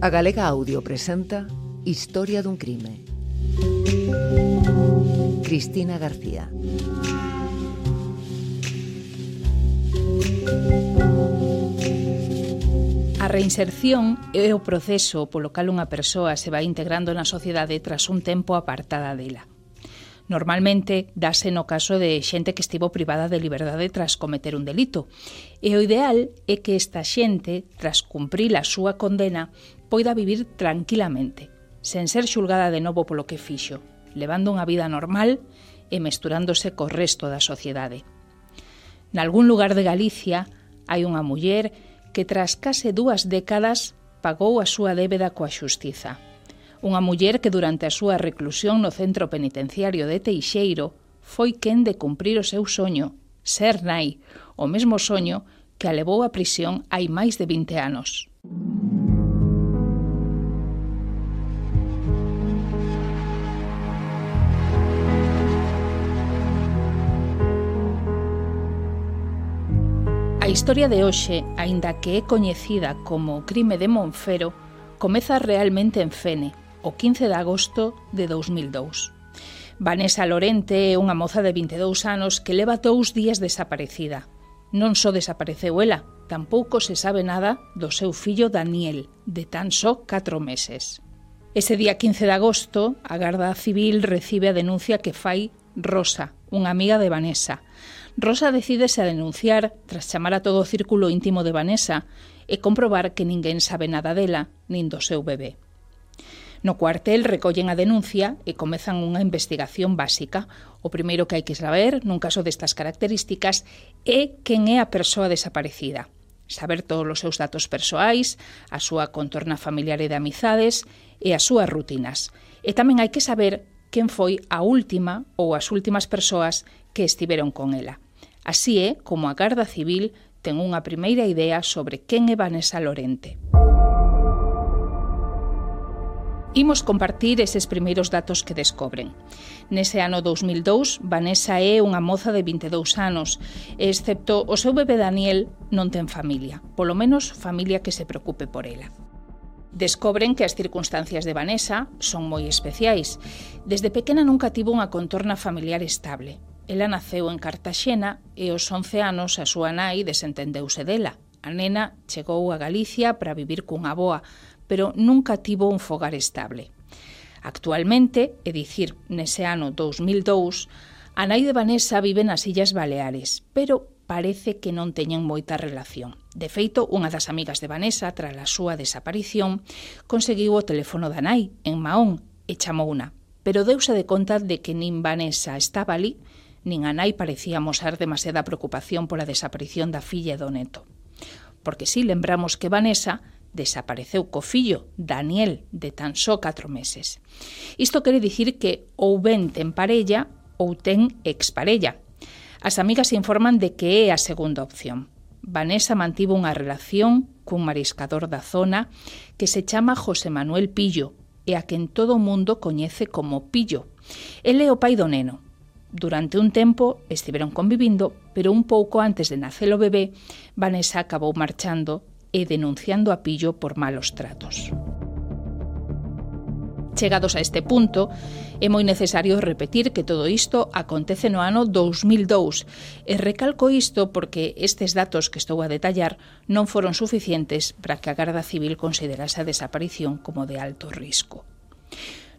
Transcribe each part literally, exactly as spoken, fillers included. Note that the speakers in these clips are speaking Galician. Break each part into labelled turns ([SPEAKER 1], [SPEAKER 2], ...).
[SPEAKER 1] A Galega Audio presenta Historia dun crime. Cristina García.
[SPEAKER 2] A reinserción é o proceso polo cal unha persoa se vai integrando na sociedade tras un tempo apartada dela. Normalmente dáse no caso de xente que estivo privada de liberdade tras cometer un delito, e o ideal é que esta xente, tras cumprir a súa condena, poida vivir tranquilamente, sen ser xulgada de novo polo que fixo, levando unha vida normal e mesturándose co resto da sociedade. Nalgún lugar de Galicia hai unha muller que tras case dúas décadas pagou a súa débeda coa xustiza. Unha muller que durante a súa reclusión no centro penitenciario de Teixeiro foi quen de cumprir o seu soño, ser nai, o mesmo soño que a levou á prisión hai máis de vinte anos. A historia de hoxe, aínda que é coñecida como o crime de Monfero, comeza realmente en Fene, o quince de agosto de dous mil dous. Vanessa Lorente é unha moza de vinte e dous anos que leva dous días desaparecida. Non só desapareceu ela, tampouco se sabe nada do seu fillo Daniel, de tan só catro meses. Ese día quince de agosto, a Garda Civil recibe a denuncia que fai Rosa, unha amiga de Vanessa. Rosa decídese a denunciar tras chamar a todo o círculo íntimo de Vanessa e comprobar que ninguén sabe nada dela, nin do seu bebé. No cuartel recollen a denuncia e comezan unha investigación básica. O primeiro que hai que saber, nun caso destas características, é quen é a persoa desaparecida. Saber todos os seus datos persoais, a súa contorna familiar e de amizades e as súas rutinas. E tamén hai que saber quen foi a última ou as últimas persoas que estiveron con ela. Así é como a Garda Civil ten unha primeira idea sobre quen é Vanessa Lorente. Imos compartir eses primeiros datos que descobren. Nese ano dous mil dous, Vanessa é unha moza de vinte e dous anos, e excepto o seu bebé Daniel, non ten familia, polo menos familia que se preocupe por ela. Descobren que as circunstancias de Vanessa son moi especiais. Desde pequena nunca tivo unha contorna familiar estable. Ela naceu en Cartaxena e aos once anos a súa nai desentendeuse dela. A nena chegou a Galicia para vivir cunha avoa, pero nunca tivo un fogar estable. Actualmente, é dicir, nese ano dous mil dous, a nai de Vanessa vive nas Illas Baleares, pero parece que non teñen moita relación. De feito, unha das amigas de Vanessa, tras a súa desaparición, conseguiu o teléfono da nai, en Mahón, e chamouna, pero deuse de conta de que nin Vanessa estaba ali, nin a nai parecía mostrar demasiada preocupación pola desaparición da filla e do neto. Porque si lembramos que Vanessa desapareceu co fillo, Daniel, de tan só catro meses. Isto quere dicir que ou ben ten parella ou ten exparella. As amigas informan de que é a segunda opción. Vanessa mantivo unha relación cun mariscador da zona que se chama José Manuel Pillo e a quen todo o mundo coñece como Pillo. Ele é o pai do neno. Durante un tempo estiveron convivindo, pero un pouco antes de nacer o bebé, Vanessa acabou marchando e denunciando a Pillo por malos tratos. Chegados a este punto, é moi necesario repetir que todo isto acontece no ano dous mil dous, e recalco isto porque estes datos que estou a detallar non foron suficientes para que a Garda Civil considerase a desaparición como de alto risco.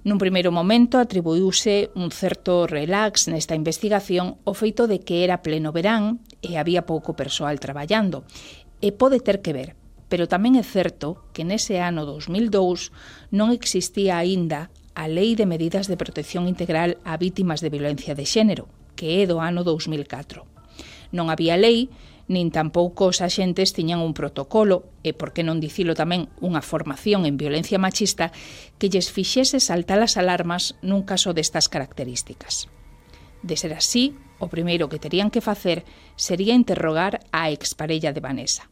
[SPEAKER 2] Nun primeiro momento atribuíuse un certo relax nesta investigación o feito de que era pleno verán e había pouco persoal traballando, e pode ter que ver, pero tamén é certo que nese ano dous mil dous non existía aínda a Lei de Medidas de Protección Integral a Vítimas de Violencia de Xénero, que é do ano dous mil catro. Non había lei, nin tampouco os axentes tiñan un protocolo, e por que non dicilo tamén unha formación en violencia machista que lles fixese saltar as alarmas nun caso destas características. De ser así, o primeiro que terían que facer sería interrogar a exparella de Vanessa.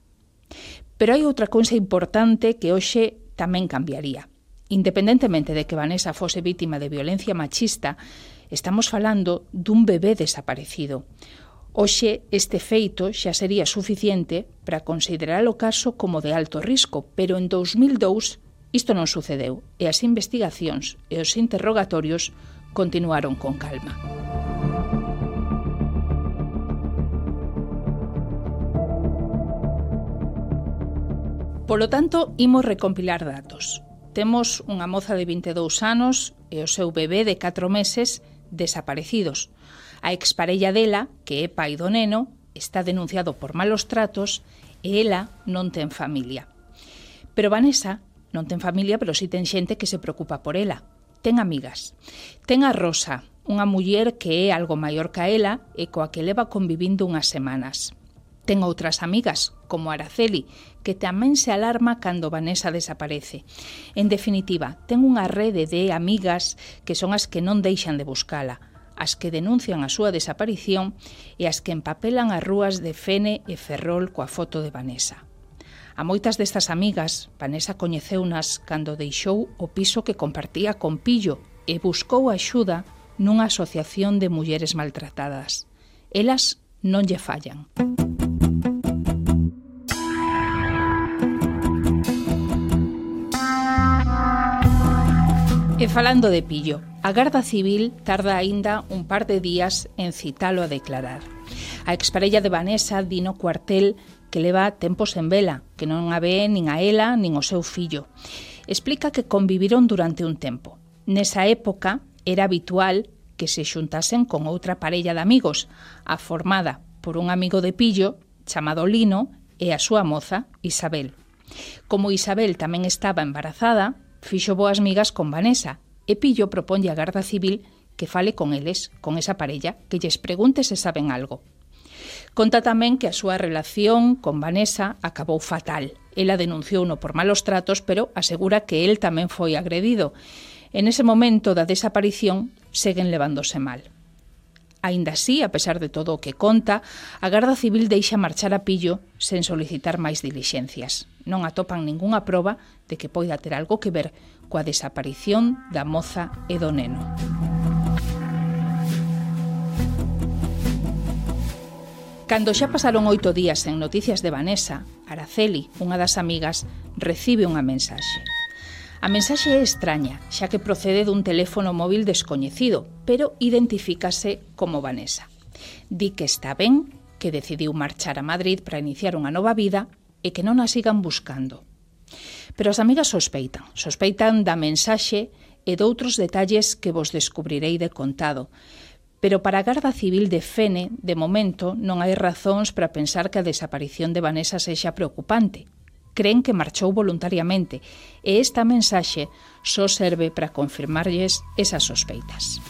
[SPEAKER 2] Pero hai outra cousa importante que hoxe tamén cambiaría. Independentemente de que Vanessa fose vítima de violencia machista, estamos falando dun bebé desaparecido. Hoxe, este feito xa sería suficiente para considerar o caso como de alto risco, pero en dous mil dous Isto non sucedeu e as investigacións e os interrogatorios continuaron con calma. Polo tanto, imos recompilar datos. Temos unha moza de vinte e dous anos e o seu bebé de catro meses desaparecidos. A exparella dela, que é pai do neno, está denunciado por malos tratos e ela non ten familia. Pero Vanessa non ten familia, pero si ten xente que se preocupa por ela. Ten amigas. Ten a Rosa, unha muller que é algo maior que ela e coa que leva convivindo unhas semanas. Ten outras amigas, como Araceli, que tamén se alarma cando Vanessa desaparece. En definitiva, ten unha rede de amigas que son as que non deixan de buscala, as que denuncian a súa desaparición e as que empapelan as rúas de Fene e Ferrol coa foto de Vanessa. A moitas destas amigas, Vanessa coñeceunas cando deixou o piso que compartía con Pillo e buscou axuda nunha asociación de mulleres maltratadas. Elas non lle fallan. E falando de Pillo, a Garda Civil tarda aínda un par de días en citalo a declarar. A exparella de Vanessa di no cuartel que leva tempos en vela, que non a ve nin a ela nin o seu fillo. Explica que conviviron durante un tempo. Nesa época era habitual que se xuntasen con outra parella de amigos, a formada por un amigo de Pillo, chamado Lino, e a súa moza, Isabel. Como Isabel tamén estaba embarazada, fixo boas migas con Vanessa, e Pillo proponlle a Garda Civil que fale con eles, con esa parella, que lles pregunte se saben algo. Conta tamén que a súa relación con Vanessa acabou fatal. Ela denunciouno por malos tratos, pero asegura que el tamén foi agredido. En ese momento da desaparición, seguen levándose mal. Aínda así, a pesar de todo o que conta, a Garda Civil deixa marchar a Pillo sen solicitar máis dilixencias. Non atopan ningunha proba de que poida ter algo que ver coa desaparición da moza e do neno. Cando xa pasaron oito días en noticias de Vanessa, Araceli, unha das amigas, recibe unha mensaxe. A mensaxe é extraña, xa que procede dun teléfono móvil descoñecido, pero identifícase como Vanessa. Di que está ben, que decidiu marchar a Madrid para iniciar unha nova vida e que non a sigan buscando. Pero as amigas sospeitan, sospeitan da mensaxe e doutros detalles que vos descubrirei de contado. Pero para a Garda Civil de Fene, de momento, non hai razóns para pensar que a desaparición de Vanessa sexa preocupante. Creen que marchou voluntariamente e esta mensaxe só serve para confirmarlles esas sospeitas.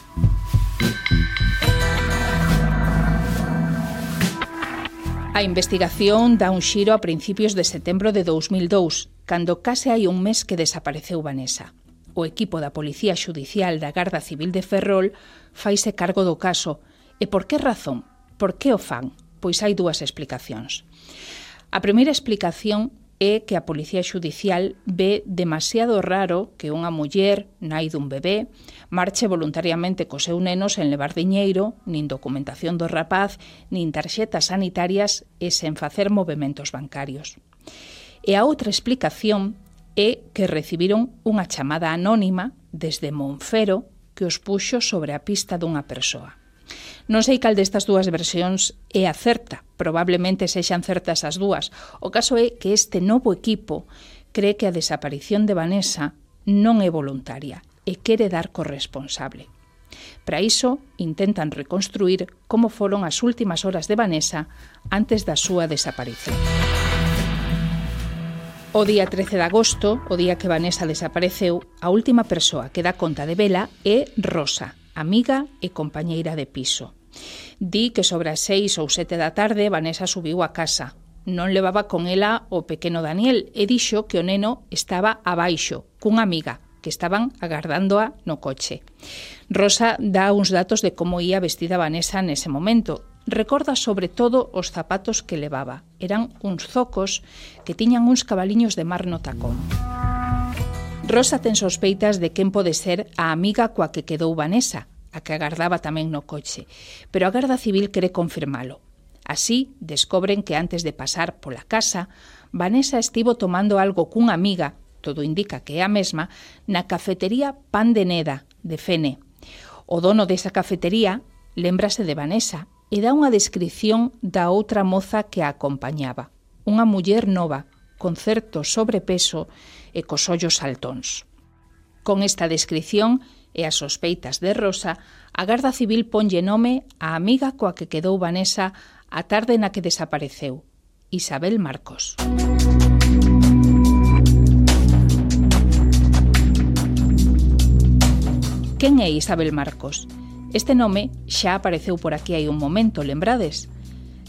[SPEAKER 2] A investigación dá un xiro a principios de setembro de dous mil dous, cando case hai un mes que desapareceu Vanessa. O equipo da Policía Xudicial da Garda Civil de Ferrol faise cargo do caso. E por que razón? Por que o fan? Pois hai dúas explicacións. A primeira explicación é que a Policía Xudicial ve demasiado raro que unha muller, nai dun bebé, marche voluntariamente co seu neno sen levar diñeiro, nin documentación do rapaz, nin tarxetas sanitarias e sen facer movementos bancarios. E a outra explicación é que recibiron unha chamada anónima desde Monfero que os puxo sobre a pista dunha persoa. Non sei cal destas dúas versións é a certa, probablemente sexan certas as dúas. O caso é que este novo equipo cree que a desaparición de Vanessa non é voluntaria e quere dar corresponsable. Para iso, intentan reconstruir como foron as últimas horas de Vanessa antes da súa desaparición. O día trece de agosto, o día que Vanessa desapareceu, a última persoa que dá conta de vela é Rosa, amiga e compañeira de piso. Di que sobre as seis ou sete da tarde Vanessa subiu a casa. Non levaba con ela o pequeno Daniel e dixo que o neno estaba abaixo, cunha amiga, que estaban agardándoa no coche. Rosa dá uns datos de como ia vestida Vanessa nese momento. Recorda sobre todo os zapatos que levaba. Eran uns zocos que tiñan uns cabaliños de mar no tacón. Rosa ten sospeitas de quen pode ser a amiga coa que quedou Vanessa, a que agardaba tamén no coche, pero a Garda Civil quere confirmalo. Así, descobren que antes de pasar pola casa, Vanessa estivo tomando algo cunha amiga todo indica que é a mesma, na cafetería Pan de Neda, de Fene. O dono desa cafetería lémbrase de Vanessa e dá unha descripción da outra moza que a acompañaba, unha muller nova, con certo sobrepeso e cos ollos saltóns. Con esta descripción e as sospeitas de Rosa, a Garda Civil ponlle nome á amiga coa que quedou Vanessa a tarde na que desapareceu, Isabel Marcos. Quen é Isabel Marcos? Este nome xa apareceu por aquí hai un momento, lembrades?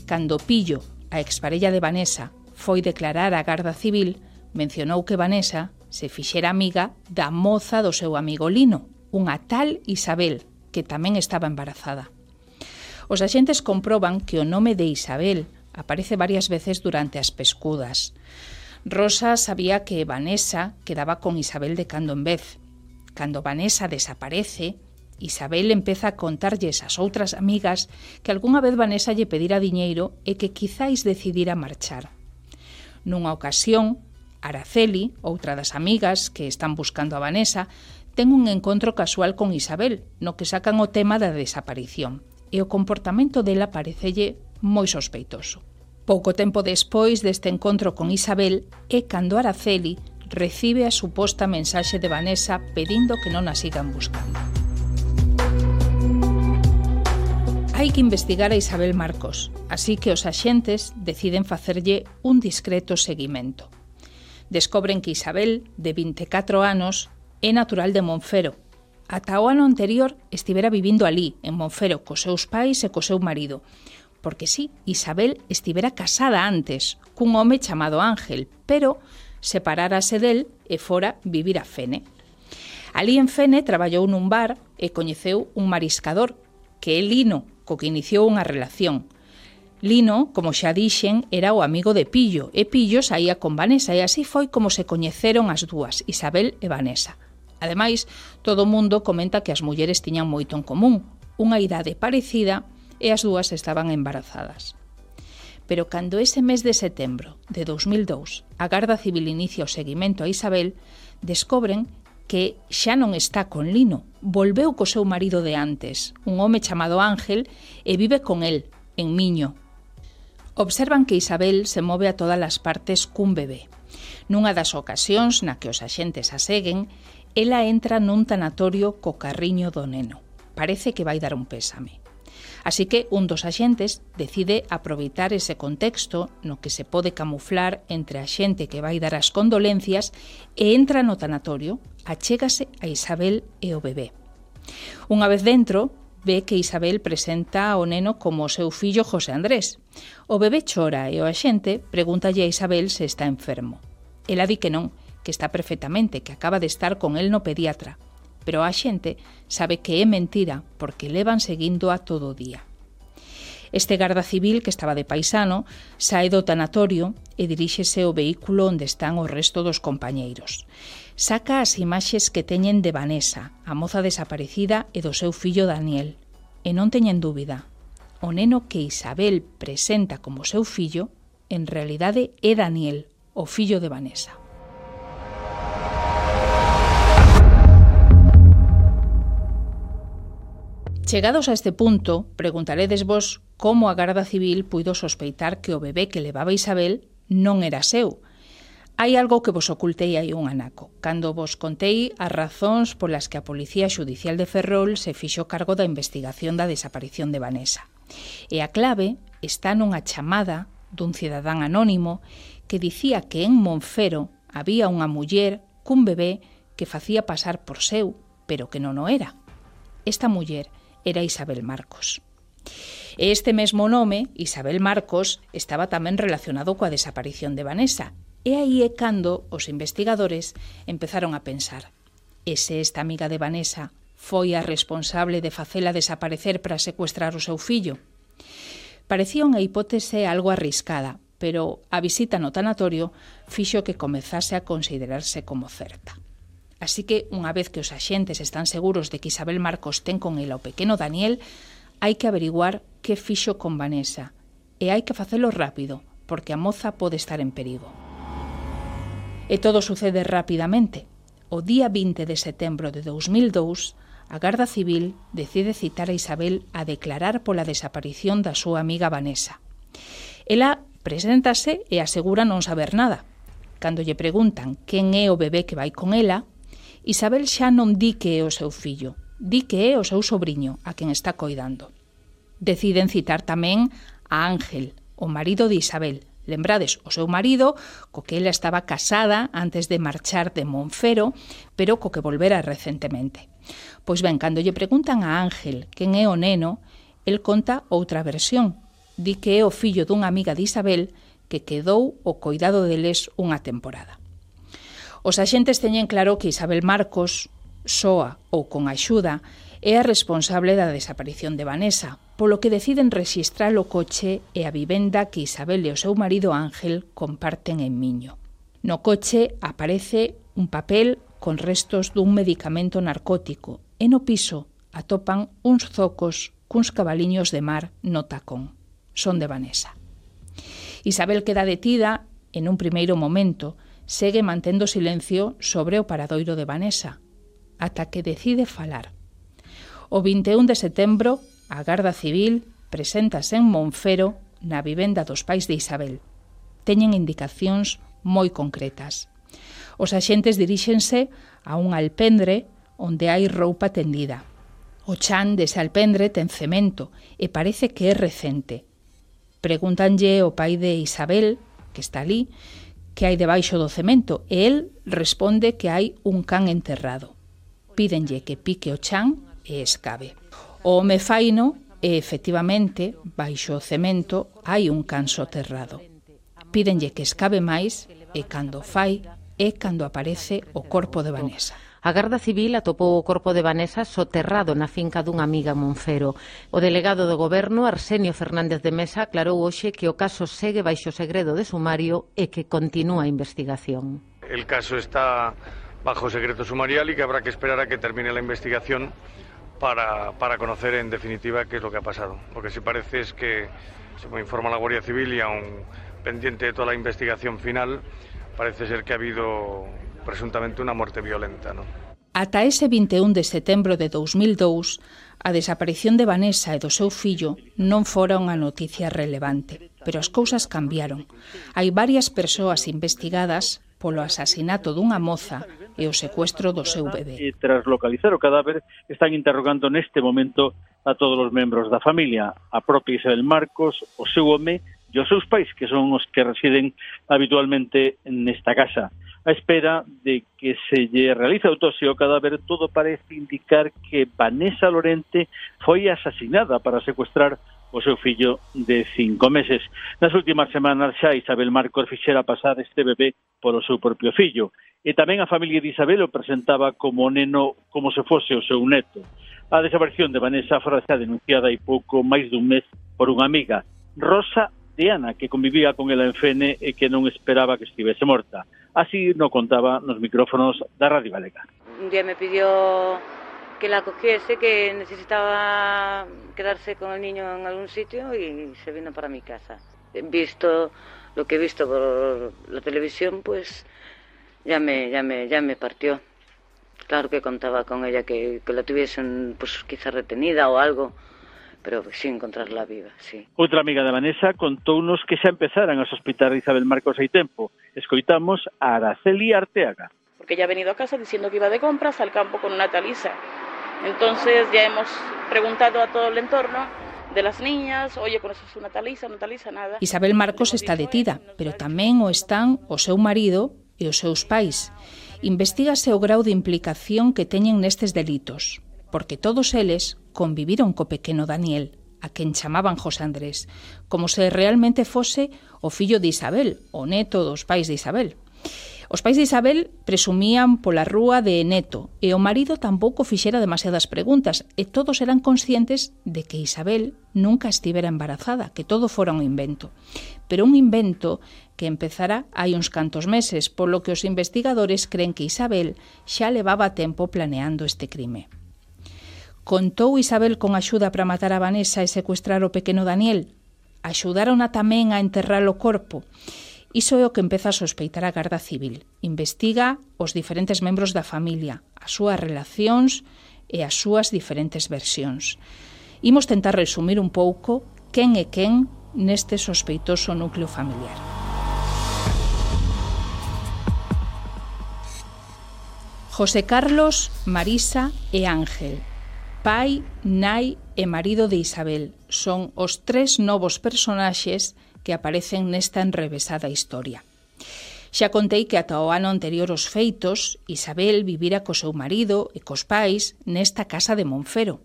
[SPEAKER 2] Cando Pillo, a exparella de Vanessa, foi declarar á Garda Civil, mencionou que Vanessa se fixera amiga da moza do seu amigo Lino, unha tal Isabel, que tamén estaba embarazada. Os axentes comproban que o nome de Isabel aparece varias veces durante as pescudas. Rosa sabía que Vanessa quedaba con Isabel de cando en vez. Cando Vanessa desaparece, Isabel empeza a contarlles ás outras amigas que algunha vez Vanessa lle pedira diñeiro e que quizáis decidira marchar. Nunha ocasión, Araceli, outra das amigas que están buscando a Vanessa, ten un encontro casual con Isabel, no que sacan o tema da desaparición, e o comportamento dela parecelle moi sospeitoso. Pouco tempo despois deste encontro con Isabel é cando Araceli recibe a suposta mensaxe de Vanessa pedindo que non a sigan buscando. Hai que investigar a Isabel Marcos, así que os axentes deciden facerlle un discreto seguimento. Descobren que Isabel, de vinte e catro anos, é natural de Monfero. Ata o ano anterior estivera vivindo alí, en Monfero, cos seus pais e co seu marido. Porque sí, Isabel estivera casada antes, cun home chamado Ángel, pero separárase del e fora vivir a Fene. Alí en Fene traballou nun bar e coñeceu un mariscador, que é Lino, co que iniciou unha relación. Lino, como xa dixen, era o amigo de Pillo, e Pillo saía con Vanessa, e así foi como se coñeceron as dúas, Isabel e Vanessa. Ademais, todo o mundo comenta que as mulleres tiñan moito en común, unha idade parecida e as dúas estaban embarazadas. Pero cando ese mes de setembro de dos mil dous a Garda Civil inicia o seguimento a Isabel, descobren que xa non está con Lino, volveu co seu marido de antes, un home chamado Ángel, e vive con el, en Miño. Observan que Isabel se move a todas as partes cun bebé. Nunha das ocasións na que os axentes a seguen, ela entra nun tanatorio co carriño do neno. Parece que vai dar un pésame. Así que un dos axentes decide aproveitar ese contexto no que se pode camuflar entre a xente que vai dar as condolencias e entra no tanatorio, achégase a Isabel e o bebé. Unha vez dentro, ve que Isabel presenta ao neno como o seu fillo José Andrés. O bebé chora e o axente pregúntalle a Isabel se está enfermo. Ela di que non, que está perfectamente, que acaba de estar con el no pediatra. Pero a xente sabe que é mentira porque levan seguindo a todo o día. Este garda civil, que estaba de paisano, sae do tanatorio e diríxese ao vehículo onde están o resto dos compañeiros. Saca as imaxes que teñen de Vanessa, a moza desaparecida, e do seu fillo Daniel. E non teñen dúbida, o neno que Isabel presenta como seu fillo, en realidade é Daniel, o fillo de Vanessa. Chegados a este punto, preguntaredes vos como a Garda Civil puido sospeitar que o bebé que levaba Isabel non era seu. Hai algo que vos ocultei aí un anaco, cando vos contei as razóns polas que a Policía Xudicial de Ferrol se fixo cargo da investigación da desaparición de Vanessa. E a clave está nunha chamada dun cidadán anónimo que dicía que en Monfero había unha muller cun bebé que facía pasar por seu, pero que non o era. Esta muller era Isabel Marcos. E este mesmo nome, Isabel Marcos, estaba tamén relacionado coa desaparición de Vanessa. E aí é cando os investigadores empezaron a pensar: e se esta amiga de Vanessa foi a responsable de facela desaparecer para secuestrar o seu fillo? Parecía unha hipótese algo arriscada, pero a visita no tanatorio fixo que comezase a considerarse como certa. Así que, unha vez que os axentes están seguros de que Isabel Marcos ten con ela o pequeno Daniel, hai que averiguar que fixo con Vanessa. E hai que facelo rápido, porque a moza pode estar en perigo. E todo sucede rapidamente. O día vinte de setembro de dous mil dous, a Garda Civil decide citar a Isabel a declarar pola desaparición da súa amiga Vanessa. Ela preséntase e asegura non saber nada. Cando lle preguntan quen é o bebé que vai con ela, Isabel xa non di que é o seu fillo, di que é o seu sobriño, a quen está coidando. Deciden citar tamén a Ángel, o marido de Isabel. Lembrades, o seu marido, co que ela estaba casada antes de marchar de Monfero, pero co que volvera recentemente. Pois ben, cando lle preguntan a Ángel quen é o neno, el conta outra versión. Di que é o fillo dunha amiga de Isabel que quedou o coidado deles unha temporada. Os axentes teñen claro que Isabel Marcos, soa ou con axuda, é a responsable da desaparición de Vanessa, polo que deciden rexistrar o coche e a vivenda que Isabel e o seu marido Ángel comparten en Miño. No coche aparece un papel con restos dun medicamento narcótico e no piso atopan uns zocos cuns cabaliños de mar no tacón. Son de Vanessa. Isabel queda detida en un primeiro momento, segue mantendo silencio sobre o paradoiro de Vanessa, ata que decide falar. O vinte e un de setembro, a Garda Civil preséntase en Monfero na vivenda dos pais de Isabel. Teñen indicacións moi concretas. Os axentes diríxense a un alpendre onde hai roupa tendida. O chan dese alpendre ten cemento e parece que é recente. Pregúntanlle ao pai de Isabel, que está ali, que hai debaixo do cemento, e el responde que hai un can enterrado. Pídenlle que pique o chan e escabe. O home faino e, efectivamente, baixo o cemento hai un can soterrado. Pídenlle que escabe máis e, cando fai, é cando aparece o corpo de Vanessa.
[SPEAKER 3] A Garda Civil atopou o corpo de Vanessa soterrado na finca dunha amiga en Monfero. O delegado do Goberno, Arsenio Fernández de Mesa, aclarou hoxe que o caso segue baixo segredo de sumario e que continúa a investigación.
[SPEAKER 4] El caso está bajo secreto sumarial y que habrá que esperar a que termine la investigación para, para conocer en definitiva qué es lo que ha pasado. Lo que sí parece es que, según informa la Guardia Civil y aún pendiente de toda la investigación final, parece ser que ha habido presuntamente una muerte violenta, ¿no?
[SPEAKER 2] Ata ese vinte e un de setembro de dous mil dous, a desaparición de Vanessa e do seu fillo non fora unha noticia relevante, pero as cousas cambiaron. Hai varias persoas investigadas polo asasinato dunha moza e o secuestro do seu bebé.
[SPEAKER 5] E tras localizar o cadáver, están interrogando neste momento a todos os membros da familia, a propia Isabel Marcos, o seu home e os seus pais, que son os que residen habitualmente nesta casa. A espera de que se lle realice a autopsia ao cadáver, todo parece indicar que Vanessa Lorente foi asesinada para secuestrar o seu fillo de cinco meses. Nas últimas semanas xa Isabel Marcos fixera pasar este bebé polo seu propio fillo. E tamén a familia de Isabel o presentaba como neno, como se fose o seu neto. A desaparición de Vanessa fora xa denunciada hai pouco máis dun mes por unha amiga, Rosa de Ana, que convivía con ela en Fene e que non esperaba que estivese morta. Así no contaba nos micrófonos da Radio Galega.
[SPEAKER 6] Un día me pidió que la cogiese, que necesitaba quedarse con el niño en algún sitio y se vino para mi casa. Visto lo que he visto por la televisión, pues ya me, ya me, ya me partió. Claro que contaba con ella que, que la tuviesen pues quizá retenida o algo, pero sin encontrarla viva, sí.
[SPEAKER 5] Outra amiga de Vanessa contounos que xa empezaran a sospitar de Isabel Marcos hai tempo. Escoitamos a Araceli Arteaga.
[SPEAKER 7] Porque ella ha venido a casa diciendo que iba de compras al campo con una Talisa. Entonces ya hemos preguntado a todo el entorno de las niñas, oye, ¿conoces una Talisa? Una Talisa, nada.
[SPEAKER 2] Isabel Marcos está detida, pero tamén o están o seu marido e os seus pais. Investígase o grau de implicación que teñen nestes delitos, porque todos eles conviviron co pequeno Daniel, a quen chamaban José Andrés, como se realmente fose o fillo de Isabel, o neto dos pais de Isabel. Os pais de Isabel presumían pola rúa de neto e o marido tampouco fixera demasiadas preguntas e todos eran conscientes de que Isabel nunca estivera embarazada, que todo fora un invento. Pero un invento que empezara hai uns cantos meses, polo que os investigadores creen que Isabel xa levaba tempo planeando este crime. Contou Isabel con axuda para matar a Vanessa e secuestrar o pequeno Daniel? Axudárona tamén a enterrar o corpo? Iso é o que empeza a sospeitar a Garda Civil. Investiga os diferentes membros da familia, as súas relacións e as súas diferentes versións. Imos tentar resumir un pouco quen é quen neste sospeitoso núcleo familiar. José Carlos, Marisa e Ángel, pai, nai e marido de Isabel, son os tres novos personaxes que aparecen nesta enrevesada historia. Xa contei que ata o ano anterior aos feitos, Isabel vivira co seu marido e cos pais nesta casa de Monfero,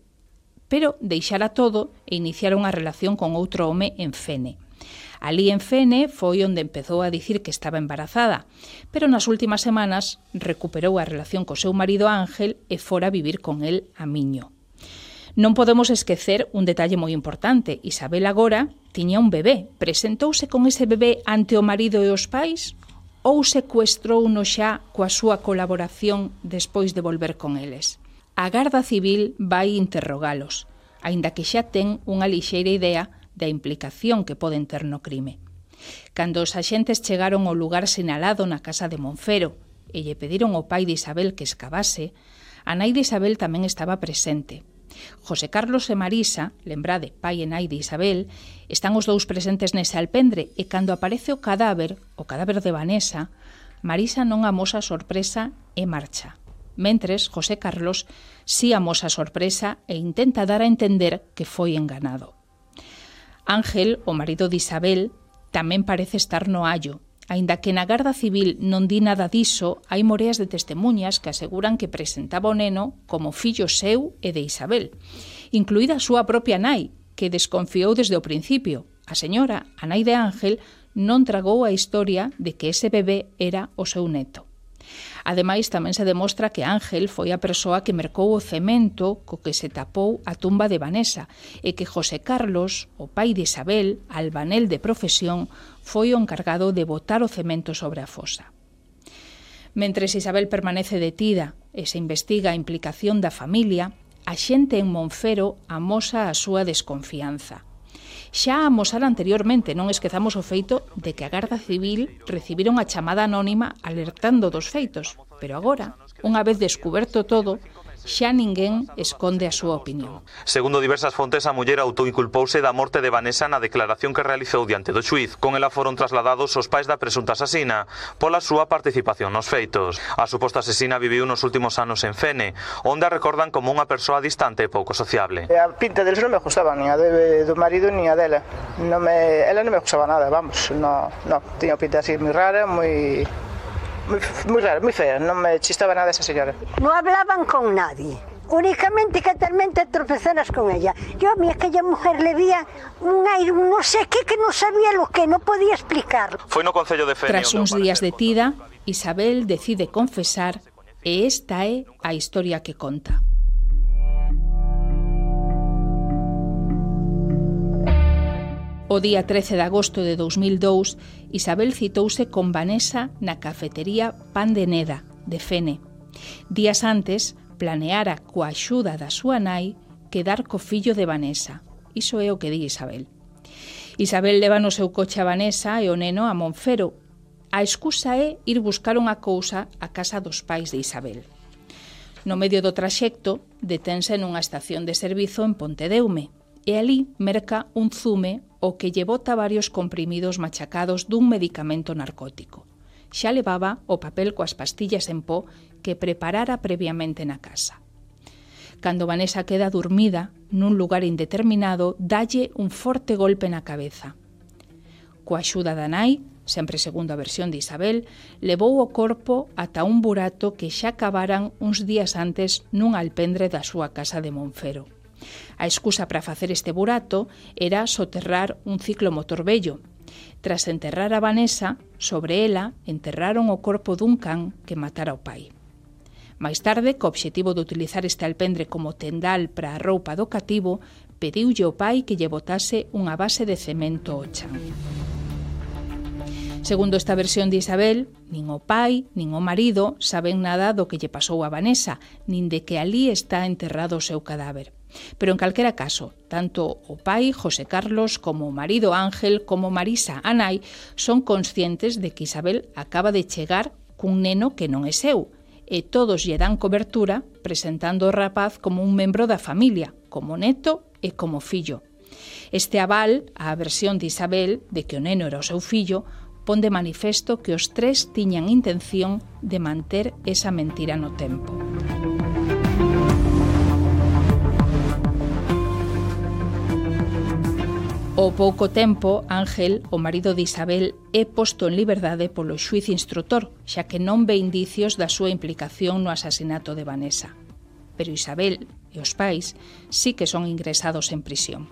[SPEAKER 2] pero deixara todo e iniciara unha relación con outro home en Fene. Alí en Fene foi onde empezou a dicir que estaba embarazada, pero nas últimas semanas recuperou a relación co seu marido Ángel e fora a vivir con el a Miño. Non podemos esquecer un detalle moi importante. Isabel agora tiña un bebé. Presentouse con ese bebé ante o marido e os pais ou secuestrouno xa coa súa colaboración despois de volver con eles? A Garda Civil vai interrogalos, aínda que xa ten unha lixeira idea da implicación que poden ter no crime. Cando os axentes chegaron ao lugar sinalado na casa de Monfero e lle pediron ao pai de Isabel que escavase, a nai de Isabel tamén estaba presente. José Carlos e Marisa, lembrade, pai e nai de Isabel, están os dous presentes nese alpendre e cando aparece o cadáver, o cadáver de Vanessa, Marisa non amosa sorpresa e marcha. Mentres, José Carlos si amosa sorpresa e intenta dar a entender que foi enganado. Ángel, o marido de Isabel, tamén parece estar no allo. Aínda que na Garda Civil non di nada diso, hai moreas de testemunhas que aseguran que presentaba o neno como fillo seu e de Isabel, incluída a súa propia nai, que desconfiou desde o principio. A señora, a nai de Ángel, non tragou a historia de que ese bebé era o seu neto. Ademais, tamén se demostra que Ángel foi a persoa que mercou o cemento co que se tapou a tumba de Vanessa e que José Carlos, o pai de Isabel, albanel de profesión, foi o encargado de botar o cemento sobre a fosa. Mentres Isabel permanece detida e se investiga a implicación da familia, a xente en Monfero amosa a súa desconfianza. Xa a amosara anteriormente, non esquezamos o feito de que a Garda Civil recibira unha chamada anónima alertando dos feitos, pero agora, unha vez descuberto todo, xa ninguén esconde a súa opinión.
[SPEAKER 8] Segundo diversas fontes, a muller autoinculpouse da morte de Vanessa na declaración que realizou diante do xuiz. Con ela foron trasladados os pais da presunta asasina pola súa participación nos feitos. A suposta asesina viviu nos últimos anos en Fene, onde a recordan como unha persoa distante e pouco sociable.
[SPEAKER 9] A pinta deles non me gustaba, ni a de, do marido ni a dela. No me, ela non me gustaba nada, vamos, no, no, tiña pinta así moi rara, moi... Muy, muy raro, muy fea, non me chistaba nada esa señora.
[SPEAKER 10] No hablaban con nadie, únicamente que talmente tropezaras con ella. Yo a mí aquella mujer le veía un aire, no sé qué, que no sabía lo que, no podía explicarlo.
[SPEAKER 8] Foi no Concello de Fene.
[SPEAKER 2] Tras uns días detida, Isabel decide confesar e esta é a historia que conta. O día trece de agosto de dous mil dous, Isabel citouse con Vanessa na cafetería Pan de Neda, de Fene. Días antes, planeara coa axuda da súa nai quedar co fillo de Vanessa. Iso é o que di Isabel. Isabel leva no seu coche a Vanessa e o neno a Monfero. A excusa é ir buscar unha cousa a casa dos pais de Isabel. No medio do traxecto, detense nunha estación de servizo en Pontedeume e ali merca un zume o que lle bota varios comprimidos machacados dun medicamento narcótico. Xa levaba o papel coas pastillas en pó que preparara previamente na casa. Cando Vanessa queda dormida nun lugar indeterminado, dalle un forte golpe na cabeza. Coa axuda da nai, sempre segundo a versión de Isabel, levou o corpo ata un burato que xa cavaran uns días antes nun alpendre da súa casa de Monfero. A excusa para facer este burato era soterrar un ciclomotor vello. Tras enterrar a Vanessa, sobre ela enterraron o corpo dun can que matara o pai. Mais tarde, co obxectivo de utilizar este alpendre como tendal para a roupa do cativo, pediulle ao pai que lle botase unha base de cemento ao chan. Segundo esta versión de Isabel, nin o pai, nin o marido saben nada do que lle pasou a Vanessa, nin de que alí está enterrado o seu cadáver. Pero en calquera caso, tanto o pai, José Carlos, como o marido Ángel, como Marisa, a nai, son conscientes de que Isabel acaba de chegar cun neno que non é seu, e todos lle dan cobertura presentando o rapaz como un membro da familia, como neto e como fillo. Este aval á versión de Isabel de que o neno era o seu fillo pon de manifesto que os tres tiñan intención de manter esa mentira no tempo. Ao pouco tempo, Ángel, o marido de Isabel, é posto en liberdade polo xuíz instrutor, xa que non ve indicios da súa implicación no asasinato de Vanessa. Pero Isabel e os pais sí que son ingresados en prisión.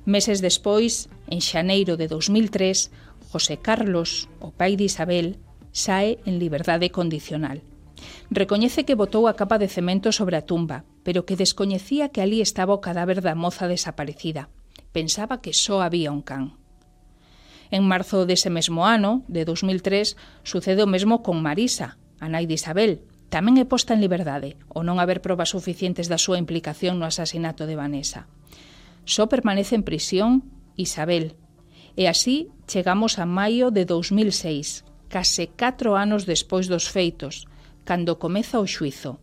[SPEAKER 2] Meses despois, en xaneiro de dos mil tres, José Carlos, o pai de Isabel, sae en liberdade condicional. Recoñece que botou a capa de cemento sobre a tumba, pero que descoñecía que ali estaba o cadáver da moza desaparecida. Pensaba que só había un can. En marzo dese mesmo ano, de dos mil tres, sucede o mesmo con Marisa, a nai de Isabel. Tamén é posta en liberdade, ao non haber probas suficientes da súa implicación no asasinato de Vanessa. Só permanece en prisión Isabel. E así chegamos a maio de dos mil seis, case catro anos despois dos feitos, cando comeza o xuízo.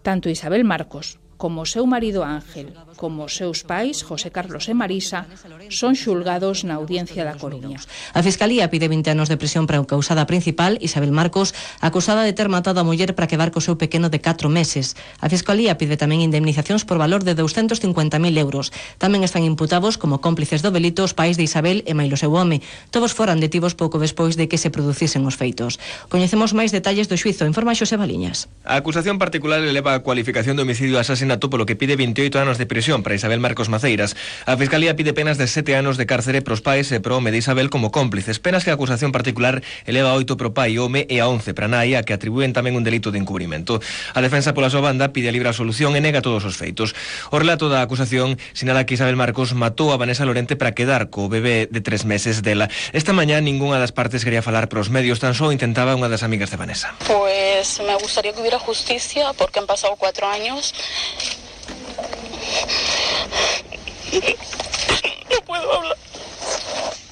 [SPEAKER 2] Tanto Isabel Marcos como o seu marido Ángel, como os seus pais, José Carlos e Marisa, son xulgados na Audiencia da Coruña.
[SPEAKER 11] A Fiscalía pide vinte anos de prisión para a causada principal, Isabel Marcos, acusada de ter matado a muller para quedar co seu pequeno de catro meses. A Fiscalía pide tamén indemnizacións por valor de douscentos cincuenta mil euros. Tamén están imputados como cómplices do delito os pais de Isabel e mailo seu home. Todos foran detidos pouco despois de que se producisen os feitos. Coñecemos máis detalles do xuízo, informa Xosé Baliñas.
[SPEAKER 12] A acusación particular eleva a cualificación de homicidio e asasinato polo que pide veintioito anos de prisión para Isabel Marcos Maceiras. A Fiscalía pide penas de sete anos de cárcere pros pais e pro home de Isabel como cómplices, penas que a acusación particular eleva a oito pro pai e home e a once para nai, a que atribúen tamén un delito de encubrimento. A defensa pola súa banda pide a libre absolución e nega todos os feitos. O relato da acusación sinala que Isabel Marcos matou a Vanessa Lorente para quedar co bebé de tres meses dela. Esta mañá ningunha das partes quería falar pros medios, tan só intentaba unha das amigas de Vanessa.
[SPEAKER 7] Pues me gustaría que hubiera justicia porque han pasado cuatro años. No puedo hablar.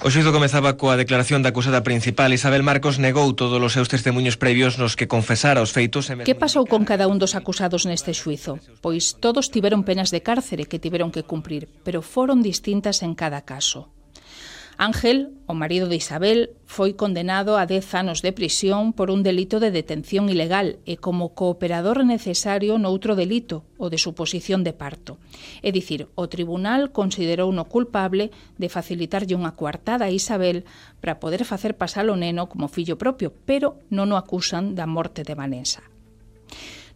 [SPEAKER 12] O xuízo comezaba coa declaración da acusada principal. Isabel Marcos negou todos os seus testemunhos previos nos que confesara os feitos.
[SPEAKER 2] Que pasou con cada un dos acusados neste xuízo? Pois todos tiveron penas de cárcere que tiveron que cumprir, pero foron distintas en cada caso. Ángel, o marido de Isabel, foi condenado a dez anos de prisión por un delito de detención ilegal e como cooperador necesario noutro delito, o de suposición de parto. É dicir, o tribunal considerou no culpable de facilitarlle unha coartada a Isabel para poder facer pasar o neno como fillo propio, pero non o acusan da morte de Vanessa.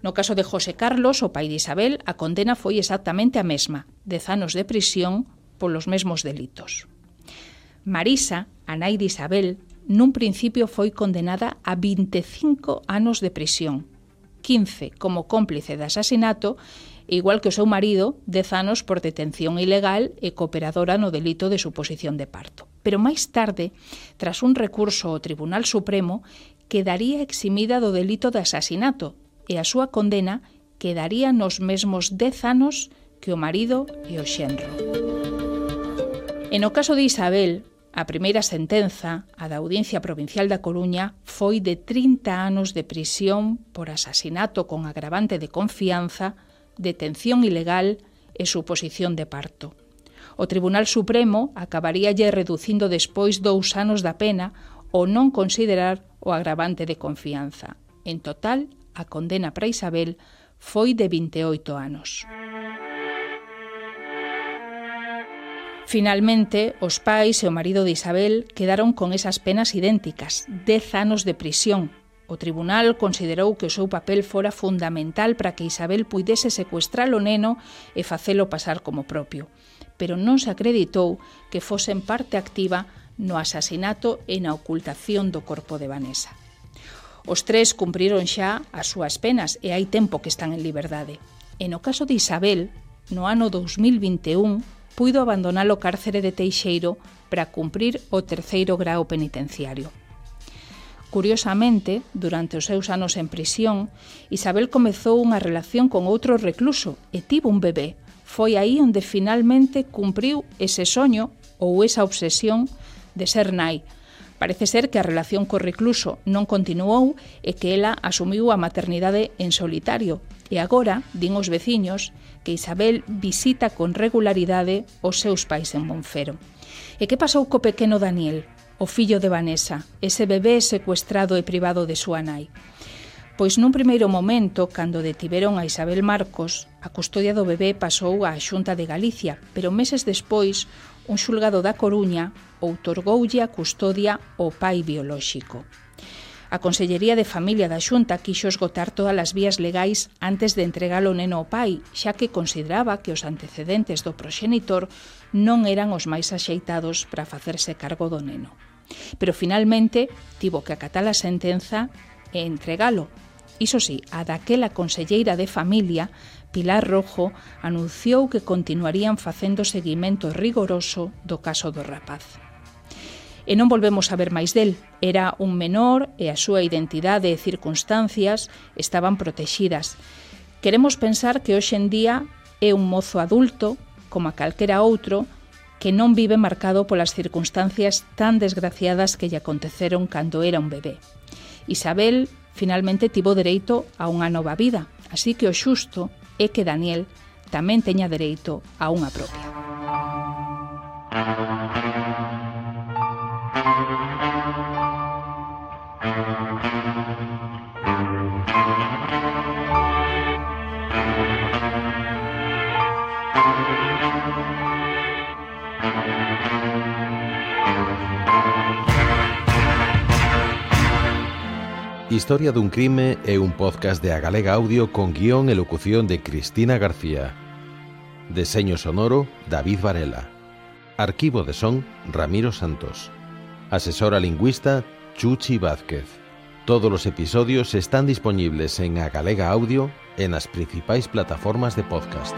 [SPEAKER 2] No caso de José Carlos, o pai de Isabel, a condena foi exactamente a mesma, dez anos de prisión polos mesmos delitos. Marisa, a nai de Isabel, nun principio foi condenada a vinte e cinco anos de prisión, quince como cómplice de asasinato, igual que o seu marido, dez anos por detención ilegal e cooperadora no delito de suposición de parto. Pero máis tarde, tras un recurso ao Tribunal Supremo, quedaría eximida do delito de asasinato e a súa condena quedaría nos mesmos dez anos que o marido e o xenro. E no caso de Isabel, a primeira sentenza, a da Audiencia Provincial da Coruña, foi de trinta anos de prisión por asasinato con agravante de confianza, detención ilegal e suposición de parto. O Tribunal Supremo acabaríalle reducindo despois dous anos da pena ou non considerar o agravante de confianza. En total, a condena para Isabel foi de vinte e oito anos. Finalmente, os pais e o marido de Isabel quedaron con esas penas idénticas, dez anos de prisión. O tribunal considerou que o seu papel fora fundamental para que Isabel puidese secuestrar o neno e facelo pasar como propio, pero non se acreditou que fosen parte activa no asasinato e na ocultación do corpo de Vanessa. Os tres cumpriron xa as súas penas e hai tempo que están en liberdade. E no caso de Isabel, no ano dos mil vinte e un, puido abandonar o cárcere de Teixeiro para cumprir o terceiro grao penitenciario. Curiosamente, durante os seus anos en prisión, Isabel comezou unha relación con outro recluso e tivo un bebé, foi aí onde finalmente cumpriu ese soño ou esa obsesión de ser nai. Parece ser que a relación co recluso non continuou e que ela asumiu a maternidade en solitario. E agora, din os veciños, que Isabel visita con regularidade os seus pais en Monfero. E que pasou co pequeno Daniel, o fillo de Vanessa, ese bebé secuestrado e privado de súa nai? Pois nun primeiro momento, cando detiveron a Isabel Marcos, a custodia do bebé pasou á Xunta de Galicia, pero meses despois, un xulgado da Coruña outorgoulle a custodia ao pai biolóxico. A Consellería de Familia da Xunta quixo esgotar todas as vías legais antes de entregar o neno ao pai, xa que consideraba que os antecedentes do proxenitor non eran os máis axeitados para facerse cargo do neno. Pero finalmente tivo que acatar a sentenza e entregalo. Iso sí, a daquela conselleira de Familia, Pilar Rojo, anunciou que continuarían facendo seguimento rigoroso do caso do rapaz. E non volvemos a ver máis del. Era un menor e a súa identidade e circunstancias estaban protexidas. Queremos pensar que hoxe en día é un mozo adulto, como a calquera outro, que non vive marcado polas circunstancias tan desgraciadas que lle aconteceron cando era un bebé. Isabel finalmente tivo dereito a unha nova vida, así que o xusto é que Daniel tamén teña dereito a unha propia.
[SPEAKER 13] Historia dun crime é un podcast de A Galega Audio con guión e locución de Cristina García. Deseño sonoro, David Varela. Arquivo de son, Ramiro Santos. Asesora lingüista, Chuchi Vázquez. Todos os episodios están disponibles en A Galega Audio e nas principais plataformas de podcast.